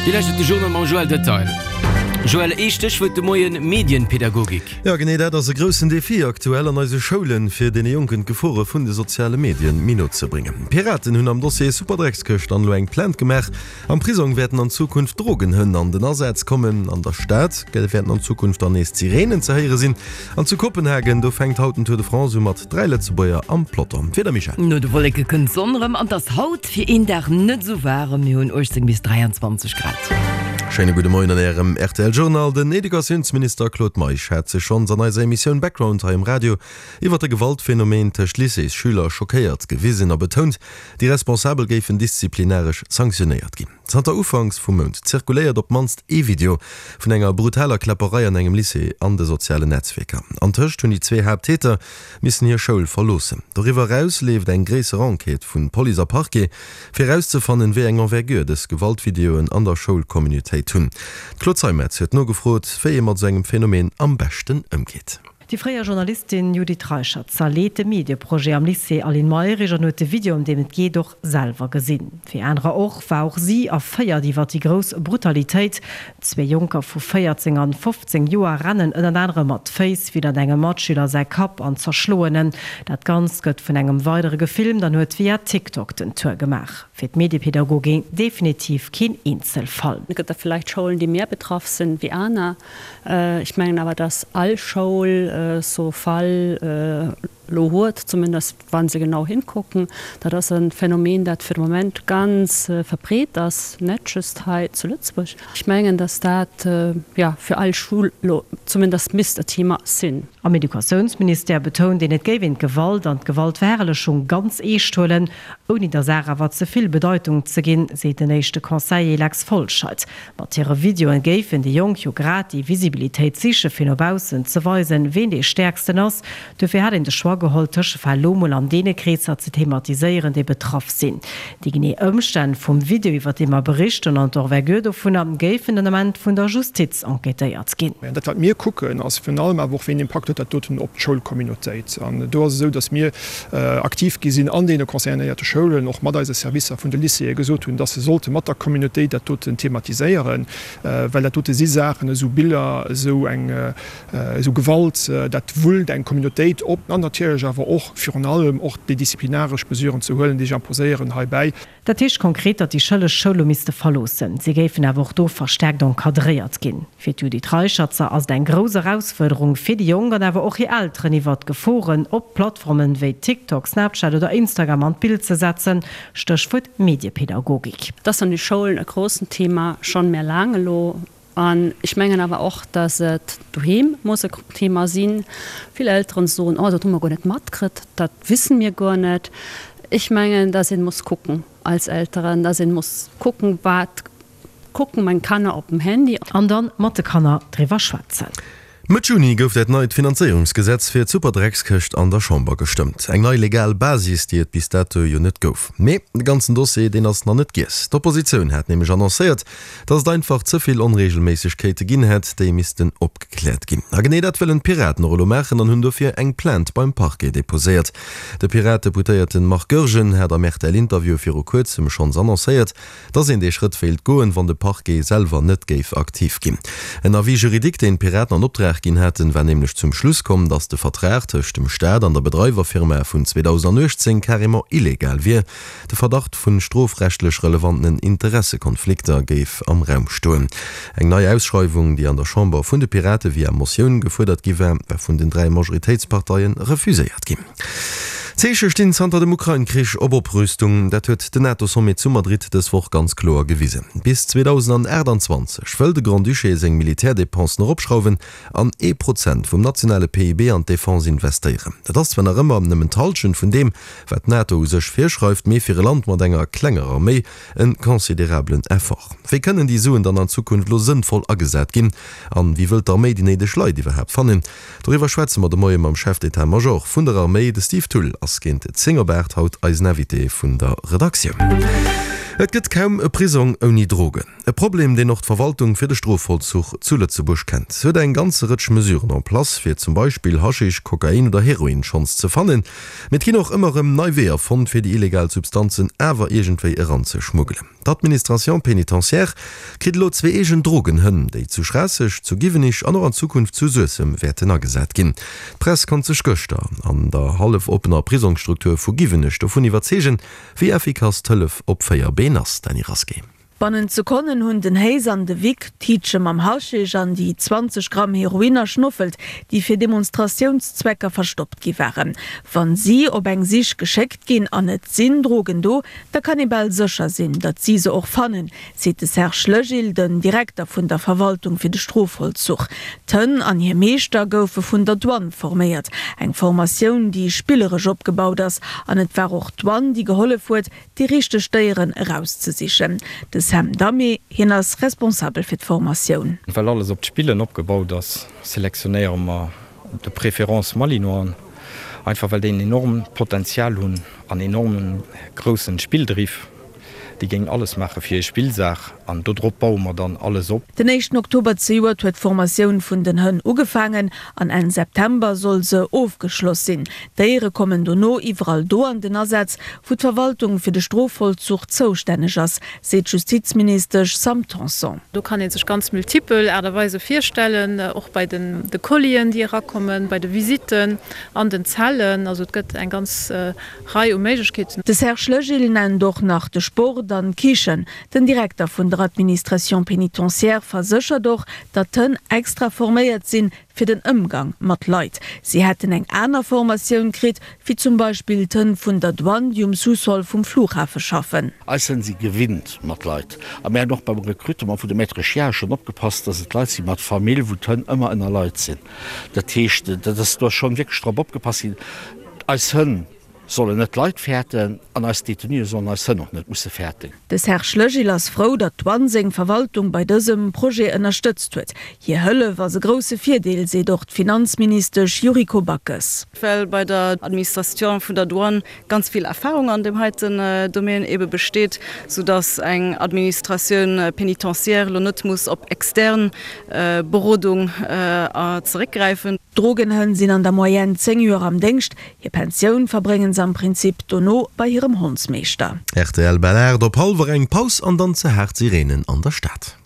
Dir lauschtert de Journal mam Joël Detail. Joël, ee Stéchwuert de Moien, Medienpädagogik. Jo, genee dat ass e groussen Defi aktuell an eise Schoulen, fir deene Jonken d'Gefore vun de soziale Medien méi no ze bréngen. D'Piraten hunn am Dossier Superdreckskëscht an elo eng Plainte gemaach. Am Prisong wäerten an Zukunft Drogenhënn an den Asaz kommen. An der Stad wäerten an Zukunft dann nees d'Sireenen ze héiere sinn. An zu Kopenhagen, do fänkt haut den Tour de France u mat 3 Lëtzebuerger am Peloton. D'Wieder, Michèle? No de Wolleke kënnt d'Sonn erëm an et ass haut fir een Dag net esou waarem, mir hunn 18 bis 23 Grad. Schéine gudde Moien an Ärem rtl Journal. Den Educatiounsminister Claude Meisch hat sech schonns an eiser Emissioun Background hei um Radio iwwer de Gewaltphänomen tëscht Lycéesschüler schockéiert gewisen a betount, Déi Responsabel géifen disziplinaresch sanktionéiert ginn. Zanter Ufanks vum Mount zirkuléiert op d'mannst ee Video vun enger brutaler Kläpperei an engem Lycée an de sozialen Netzwierker. Antëscht hunn déi zwee Haapttäter missen hir Schoul verloossen. Doriwwer eraus leeft eng gréisser Enquête vun Police a Parquet, fir erauszefannen, wéi eng Envergure dës Gewaltvideoen an der Schoulcommunautéit hunn. D'Claude Zeimetz huet nogefrot, wéi ee mat esou engem Phänomen am beschten ëmgeet. Déi fréier Journalistin Judith Reicherzer leet de Medieprojet am Lycée Aline Mayrisch an huet de Video, ëm deem et geet, och selwer gesinn. Wéi anerer och, war och si erféiert iwwer déi grouss Brutalitéit. Zwee Jonker vu 14 an 15 Joer rennen ënnert anerem mat Féiss widdert engem Matschüler säi Kapp an zerschloen en. Dat Ganzt gëtt vun engem weidere gefilmt an huet via TikTok den Tour gemaach. Fir d'Mediepädagogin definitiv keen Eenzelfall. Et gëtt der villäicht Schoulen, déi méi betraff sinn wéi aner. Ech mengen awer, dass all Schoul sou Fall elo huet, zumindest wa se genau hinkucken. Dat ass e Phänomen, dat fir de Moment ganz verbreet ass, net just hei zu Lëtzebuerg. Ech mengen, dass dat, jo, fir all Schoul elo zumindest misst e Thema sinn. Am Educatiounsministère betount een, et géif een d'Gewalt an d'Gewaltverherrlechung ganz eescht huelen, ouni der Saach awer ze vill Bedeitung ze ginn, seet den éischte Conseiller Lex Folscheid. Mat hire Videoen géifen déi Jonk jo grad déi Visibilitéit sichen, fir no baussen ze weisen, ween dee Stäerksten ass. Dofir hätt een de Choix geholl, d'Tëschefäll lo mol an deene Kreesser ze thematiséieren, déi betraff sinn. Déi genee Ëmstänn vum Video, iwwer dee mer berichten, an d'Envergure dovunner géifen den Ament vun der Justiz enquêtéiert ginn. Dat, wat mir kucken, ass virun allem awer och, wéi en Impakt huet dat doten op d'Schoulcommunautéit. An do ass et esou, datt mir aktiv gi sinn an deene concernéierte Schoulen, och mat eise Servicer vun de Lycéeë gesot hunn, dass se sollte mat der Communautéit dat doten thematiséieren, well dat dote si Saachen, esou Biller, esou eng, esou Gewalt, dat wullt eng Communautéit op. An natierlech awer och virun allem och déi disziplinaresch Mesuren ze huelen, déi sech imposéieren heibäi. Dat heescht konkret, datt déi Schëlleg d'Schoul elo misste verloossen. Si géifen awer och do verstärkt encadréiert ginn. Fir d'Judith Reicherzer ass et eng grouss Erausfuerderung fir déi Jonk an awer och hir Elteren iwwert d'Geforen op Plattformen wéi TikTok, Snapchat oder Instagram an d'Bild ze setzen, Stéchwuert Mediepädagogik. Et ass an de Schoulen e groussen Thema, schonn méi laang elo. An ech mengen awer och, dass et doheem muss e Thema sinn. Vill Elteren soen, Oh, dat hu mer guer net matkritt, dat wissen mir guer net. Ech mengen, dass een muss kucken als Elteren, dass een muss kucken, wat kucken meng Kanner op dem Handy. An dann mat de Kanner driwwer schwätzen. Mëtt Juni gouf dat neit Finanzéierungsgesetz fir d'Superdreckskëscht an der Chamber gestëmmt. Eng nei legal Basis, déi et bis dato jo net gouf. Mee de ganzen Dossier, deen ass nach net giess. D'Oppositioun hat nämlech annoncéiert, datt et einfach ze vill Onreegelméissegkeete ginn hätt, déi missten opgekläert ginn. A genee dat wëllen d'Piraten och elo maachen an hunn dofir eng Plainte beim Parquet deposéiert. De Pirat-Deputéierte Marc Goergen hat am RTL-Interview viru kuerzem schonns annoncéiert, Dass een dee Schrëtt wéilt goen, wann de Parquet selwer net géif aktiv ginn. En Avis juridique, deen d'Piraten an Optrag ginn haten, war nämlech zum Schluss komm, dass de Vertrag tëscht dem Staat an der Bedreiwerfirma vun 2018 carrément illegal wier. De Verdacht vun strofrechtlech relevanten Interessekonflikter géif am Raum stoen. Eng nei Ausschreiwung, déi an der Chamber vun de Pirate via Motioun gefuerdert gi war, war vun den 3 Majoritéitsparteie refuséiert ginn. D'Zeeche stinn zanter dem Ukrain-Krich op Oprüstung. Dat huet den NATO-Sommet zu Madrid dës Woch ganz kloer gewisen. Bis 2028 wëll de Grand-Duché seng Militärdépensen eropschrauwen an ee Prozent vum nationale PIB an d'Defense investéieren. Dat ass zwar nach ëmmer nëmmen d'Hallschent vun deem, wat d'NATO u sech virschreift, mee fir e Land mat enger klenger Arméi en considerablen Effort. Wéi kënnen déi Suen dann an Zukunft elo sënnvoll agesat ginn? An wéi wëllt d'Arméi déi néideg Leit iwwerhaapt fannen? Doriwwer schwätze mer de Moie mam Chef d'Etat-Major vun der Arméi. De Steve Thull ass géint 10 op 8 haut eisen Invité vun der Redaktioun. Et gëtt kaum e Prisong ouni Drogen. E Problem, deen och d'Verwaltung fir de Strofvollzuch zu Lëtzebuerg kennt. Se huet eng ganze Rëtsch Mesuren en place, fir zum Beispill Haschisch, Kokain oder Heroin schonns ze fannen. Mee et ginn och ëmmer erëm nei Weeër fonnt, fir déi illegal Substanzen awer iergendwéi eranzeschmuggelen. D'Administration pénitentiaire kritt elo zwee eegen Drogenhënn, déi zu Schraasseg, zu Giwenich an och an Zukunft zu Suessem wäerten agesat ginn. D'Press konnt sech gëschter an der hallef oppener Prisongsstruktur vu Giwenech dovun iwwerzeegen, wéi effikass d'Hëllef op 4 Been ass. Dany Rasqué. Bannent Sekonnen hunn den Hayes an de Vic d'Tiitche mam Haschisch an déi 20 Gramm Heroin erschnoffelt, déi fir Demonstratiounszwecker verstoppt gi waren. Wann si op eng Sich geschéckt ginn an et sinn Drogen do, da kann ee bal sécher sinn, datt si se och fannen, seet de Serge Legil, den Direkter vun der Verwaltung fir de Strofvollzuch. D'Hënn an hir Meeschter goufe vun der Douane forméiert, eng Formatioun, déi spilleresch opgebaut ass. An et war och d'Douane, déi gehollef huet, déi richteg Déieren erauszesichen. De Sam Damé, hien ass Responsabel fir d'Formatioun. Well alles op d'Spillen opgebaut ass, selektionéiere mer de préférence Malinoisen, einfach well déi en enormt Potenzial hunn an enormen groussen Spilldriff. Déi géingen alles maache fir hir Spillsaach an dodrop baue mer dann alles op. Den éischten Oktober zejoert huet d'Formatioun vun den Hënn ugefaangen an Enn September soll se ofgeschloss sinn. D'Déiere kommen dono iwwerall do an den Asaz, wou d'Verwaltung fir de Strofvollzuch zoustänneg ass, seet d'Justizministesch Sam Tanson. Do kann ee sech ganz multipel Aart a Weise virstellen, och bei de Collien, déi erakommen, bei de Visitten an den Zellen. Also et gëtt eng ganz Rei u Méiglechkeeten. De Serge Legil nennt och nach de Sport an d'Kichen. Den Direkter vun der Administration pénitentiaire verséchert och, datt d'Hënn extra forméiert sinn, fir den Ëmgang mat Leit. Si hätten eng aner Formatioun kritt, wéi zum Beispill d'Hënn vun der Douane, déi um Sous-sol vum Flughafe schaffen. Eis Hënn si gewinnt mat Leit. A mir hunn och beim Recrutement vun de Maîtres chiens schonn opgepasst, datt et Leit si mat Famill, wou d'Hënn ëmmer ënner Leit sinn. Dat heescht, dat ass do schonn wierklech drop opgepasst ginn. Eis Hënn sollen net d'Leit fäerten an eis Détenuë sollen eis Hënn och net musse fäerten. De Serge Legil ass frou, datt d'Douane seng Verwaltung bei dësem Projet ënnerstëtzt huet. Hir Hëllef ass e grousse Virdeel, seet och d'Finanzministesch Yuriko Backes. Well bei der Administration vun der Douane ganz vill Erfahrung an deem heiten Domaine ebe besteet, soudatt eng Administratioun pénitentiaire elo net muss op extern Berodung zeréckgräifen. D'Drogenhënn sinn an der Moyenne 10 Joer am Déngscht. Hir Pensioun verbréngen se am Prinzip dono bei hirem Hondsmeeschter. Rtl Bel 8 op hallwer eng, Paus an dann ze haart Sirenen an der Stad.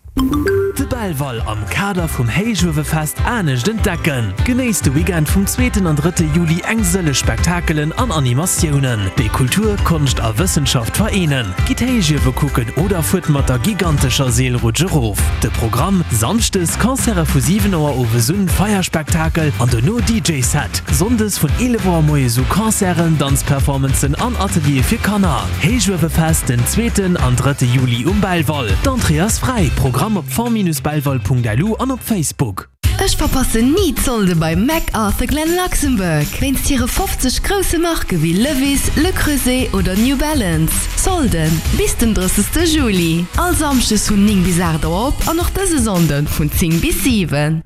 De Belval am Kader vum Héichuewefest anescht entdecken! Genéisst de Weekend vum zweeten an drëtte Juli eng sëlleg Spektakelen an Animatiounen, déi Kultur, Konscht a Wëssenschaft vereenen. Gitt Héichiewe kucken oder fuert mat der gigantescher Seelrutsch erof. De Programm, Samschdes Concerte vu 7 Auer owes un, Feierspektakel an dono DJ Set. Sonndes vun 11 Auer moies u Concerten, Danzperformancen an Ateliere fir Kanner. Héichuewefest den zweeten an drëtte Juli um Belval. D'Entrée ass fräi. Programm op fonds-belval.lu an op Facebook. Ech verpassen ni d'Solde bei McArthur Glen Luxembourg, wéinst hire 50 grousse Marke wéi Levi's, Le Creuset oder New Balance. Solden bis den 30 Juli. All Samschdes vun 9 bis 8 Auer op an och dëse Sonnden vun 10 bis 7.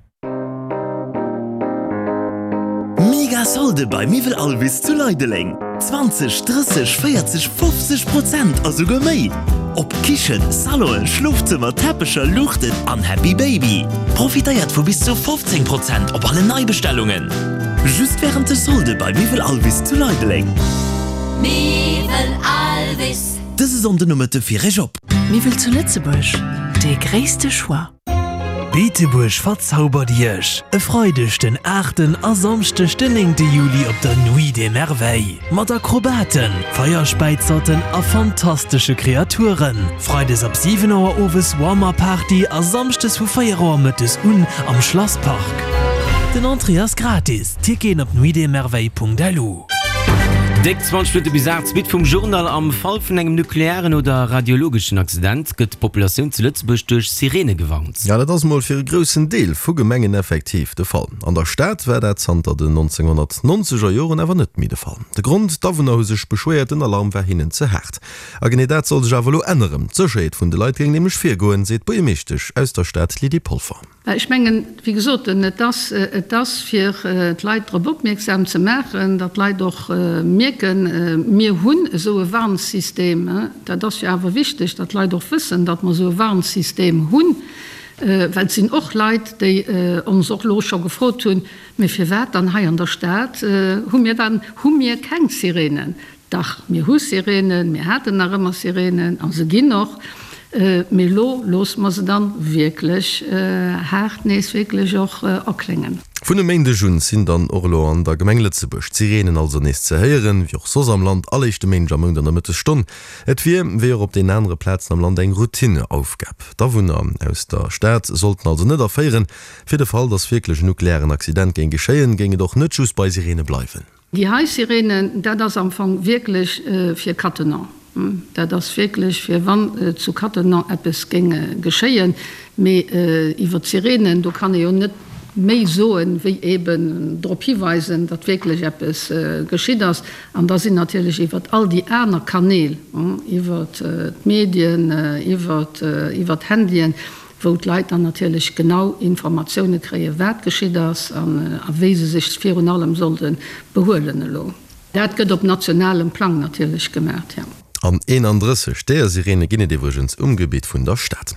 Mega Solde bei Miwwel Alvis zu Leideleng! 20, 30, 40, 50 Prozent a souguer méi! Op Kichen, Salonen, Schlofzëmmer, Teppecher, Luuchten an Happy Baby. Profitéiert vu bis zu 15 Prozent op alle Neibestellungen! Just wärend de Solde bei Miwwel Alvis zu Leideleng. Miwwel Alvis. Dëse Sonnden Nomëtte fir Iech op. Miwwel zu Lëtzebuerg, dee gréisste Choix. Beetebuerg verzaubert Iech! E Freideg den aachten a Samschdeg den néngte Juli op der Nuit des Merveilles. Mat Akrobaten, Feierspäizerten a fantastesche Kreaturen. Freides ab 7 Auer owes Warm-Up Party a Samschdes vu 4 Auer mëttes un am Schlasspark. Den Entrée ass gratis, Ticketen op nuitdesmerveilles.lu. Déck 20 Minutte bis 8, Suite vum Journal. Am Fall vun engem nuklearen oder radiologeschen Accident gëtt d'Populatioun zu Lëtzebuerg duerch Sireene gewarnt. Ja, dat ass mol fir e groussen Deel vu Gemengen effektiv de Fall. An der Stad war dat zanter den 1990er Joren awer net méi de Fall. De Grond, D'Awunner hu sech beschwéiert, den Alarm war hinnen ze haart. A genee dat soll sech awer elo änneren. D'Sécherheet vun de Leit géing nämlech virgoen, seet d'Buergermeeschtesch aus der Stad Lydie Polfer. Ech mengen, wéi gesot, et ass, et ass fir d'Leit drop opmierksam ze maachen, datt d'Leit och mierken. mierken, mir hunn esou e Warnsystem. Dat ass jo awer wichteg, datt d'Leit och wëssen, datt mer esou e Warnsystem hunn, well et sinn och Leit, déi ons och elo scho gefrot hunn, Mee firwat dann hei an der Stad hu mir dann, hu mir keng Sirenen? Dach, mir hu Sirenen, mir haten nach ëmmer Sirenen a se ginn och, mee elo loosse mer se dann wierklech haart nees wierklech och erkléngen. Vun e Méindeg un sinn dann och elo an der Gemeng Lëtzebuerg d'Sirenen also nees ze héieren, wéi och soss am Land, all éischte Méindeg am Mount an der Mëttesstonn. Et wier, wéi och op den anere Plazen am Land, eng Routineaufgab. D'Awunner aus der Stad sollten also net erféieren. Fir de Fall, datt wierklech en nuklearen Accident géing geschéien, géing et och net just bei Sirene bleiwen. Déi hei Sirene, dat ass am Fong wierklech fir Cattenom. Dat ass wierklech fir wann zu Cattenom eppes géing geschéien. Mee iwwer d'Sirenen, do kann ee jo net méi soen, wéi eeben drop hiweisen, datt wierklech eppes geschitt ass. An da sinn natierlech iwwer all déi aner Kanäl, iwwer d'Medien, iwwer d'Handyen, wou d'Leit dann natierlech genau Informatioune kréien, wat geschitt ass a wéi se sech virun allem sollte behuelen elo. Dat gëtt op nationalem Plang natierlech gemaach, jo. An 31 deeër Sireene ginn et iwwregens um Gebitt vun der Stad.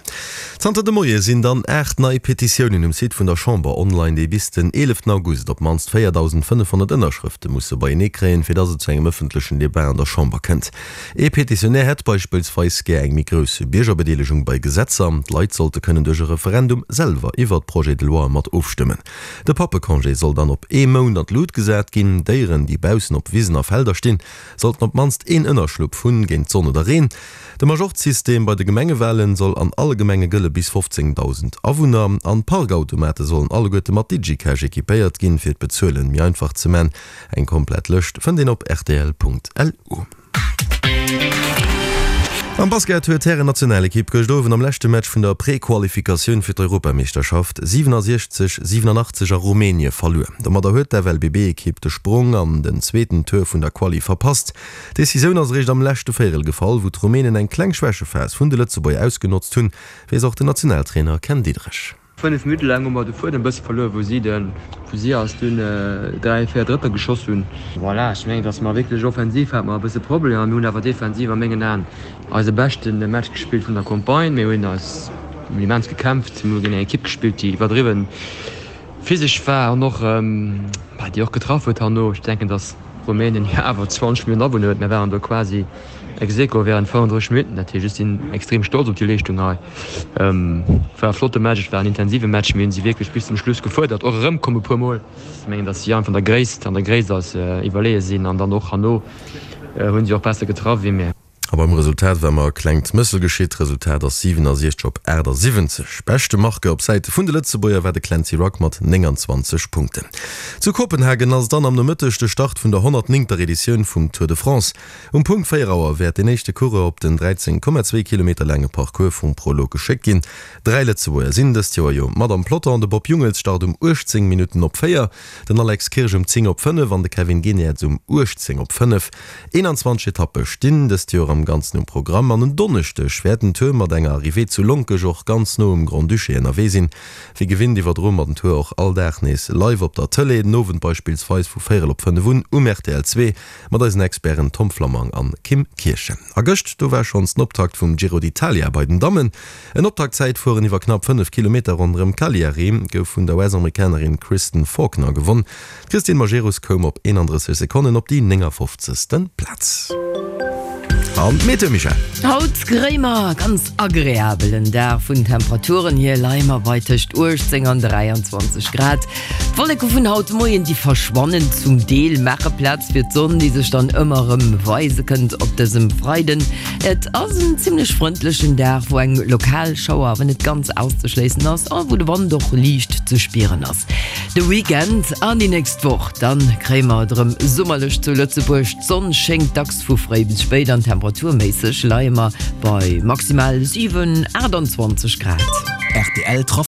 Zanter de Moie sinn dann 8 nei Petitiounen um Site vun der Chamber online, déi bis den 11 August op d'mannst 4.500 Ënnerschrëfte musse beienee kréien, fir datt et zu engem ëffentlechen Debat an der Chamber kënnt. Ee Petitionär hätt beispillsweis gär eng méi grouss Biergerbedeelegung bei Gesetzer. D'Leit sollte kënnen duerch e Referendum selwer iwwert Projets de loi mat ofstëmmen. De Pappecongé soll dann op ee Mount an d'Lut gesat ginn. Déieren, déi baussen op Wisen a Felder stinn, sollten op d'mannst een Ënnerschlupp hunn géint d'Sonn oder Reen. De Majorzsystem bei de Gemengewalen soll an alle Gemenge gëlle bis 15.000 Awunner. An d'Parkautomate sollen alleguerte mat DigiCash equipéiert ginn, fir d'Bezuelen méi einfach ze man. Eng komplett Lëscht fënnt een op rtl.lu. Am Basket huet d'Hären-Nationalekipp gëscht Owend am leschte Match vun der Prequalifikatioun fir d'Europameeschterschaft 67, 87 a Rumänie verluer. Domadder huet d'FLBB-Ekipp de Sprong an den zweeten Tour vun der Quali verpasst. D'Decisioun ass eréischt am leschte Véierel gefall, wou d'Rumänen eng kleng Schwächephas vun de Lëtzebuerger ausgenotzt hunn, weess och den Nationaltrainer Ken Diederich. 5 Minutte laang hu mer de Fuedem bësse verluer, wou si de wou si eis dunn 3, 4 Drëtter geschoss hunn. Voilà, ech mengen, datt mer wierklech offensiv hate mer e bësse Problemer. Mir hunn awer defensiv a mengen Aen eise beschte Match gespillt vun der Campagne. Mir hunn eis immens gekämpft. Mir hu géint eng Ekipp gespillt, déi iwwerdriwwen physesch war an och déi och getraff huet herno. Ech denken, datt Rumänien jo awer 20 Milliounen Awunner huet. Mir waren do quasi Ex aequo während 35 Minutten, dat heescht ech sinn extrem stolz op déi Leeschtung hei. Et war e flotte Match, et war en intensive Match, mir hunn si wierklech bis zum Schluss gefuerdert, och erëmkomm e puer Mol. Ech mengen, datt si einfach an der Gréisst, an der Gréisst eis iwwerleeë sinn an dann och herno hunn si och besser getraff wéi mir. A beim Resultat war mer e klengt Mëssel geschitt. D'Resultat ass 67 op 78. Beschte Marqueur op Säite vun de Lëtzebuerger war de Clancy Rugg mat 29 Punkten. Zu Kopenhagen ass dann am Nomëtteg de Start vun der 109. Editioun vum Tour de France. Um Punkt 4 Auer wäert deen éischte Coureur op den 13,2 Kilometer laange Parcours vum Prolog geschéckt ginn. Dräi Lëtzebuerger sinn dëst Joer jo mat am Peloton, de Bob Jungels start um 18 Minutten op 4, den Alex Kirsch um 10 op 5 an de Kevin Geniets um 18 op 5. 21 Etappe stinn dëst Joer am Ganzen um Programm an en Donneschdeg wäert den Tour mat enger Arrivée zu Lonkech och ganz no um Grand-Duché ënnerwee sinn. Wéi gewinnt iwwerdroe mer den Tour och all Dag nees live op der Tëlee, den Owend beispillsweis vu véierel op 5 un um rtl 2. Mat eisen Experten Tom Flammang an Kim Kirchen. A gëscht, do war schonns den Optakt vum Giro d'Italia bei den Dammen. En Optaktzäitfueren iwwer knapp 5 Kilometer ronderëm Cagliari gouf vun der US-Amerikanerin Kristen Faulkner gewonn. D'Christine Majerus koum op 31 Sekonnen op déi 59. Plaz. An d'Meteo, Michèle? Haut kréie mer e ganz agreabelen Dag. Vun Temperaturen hier leie mer bei tëscht 18 an 23 Grad. D'Wolleke vun haut de Moien, déi verschwannen zum Deel, maache Plaz fir d'Sonn, déi sech dann ëmmer erëm weise kënnt op dësem Freiden. Et ass en zimmlech frëndlechen Dag, wou eng lokal Schauer awer net ganz auszeschléissen ass a wou de Wand och liicht ze spieren ass. De Weekend an déi nächst Woch, dann kréie mer et erëm summerlech zu Lëtzebuerg. D'Sonn schéngt dacks vu fréi bis spéit an temperaturméisseg leie mer bei maximal 7, 28 Grad. Rtl Trafic.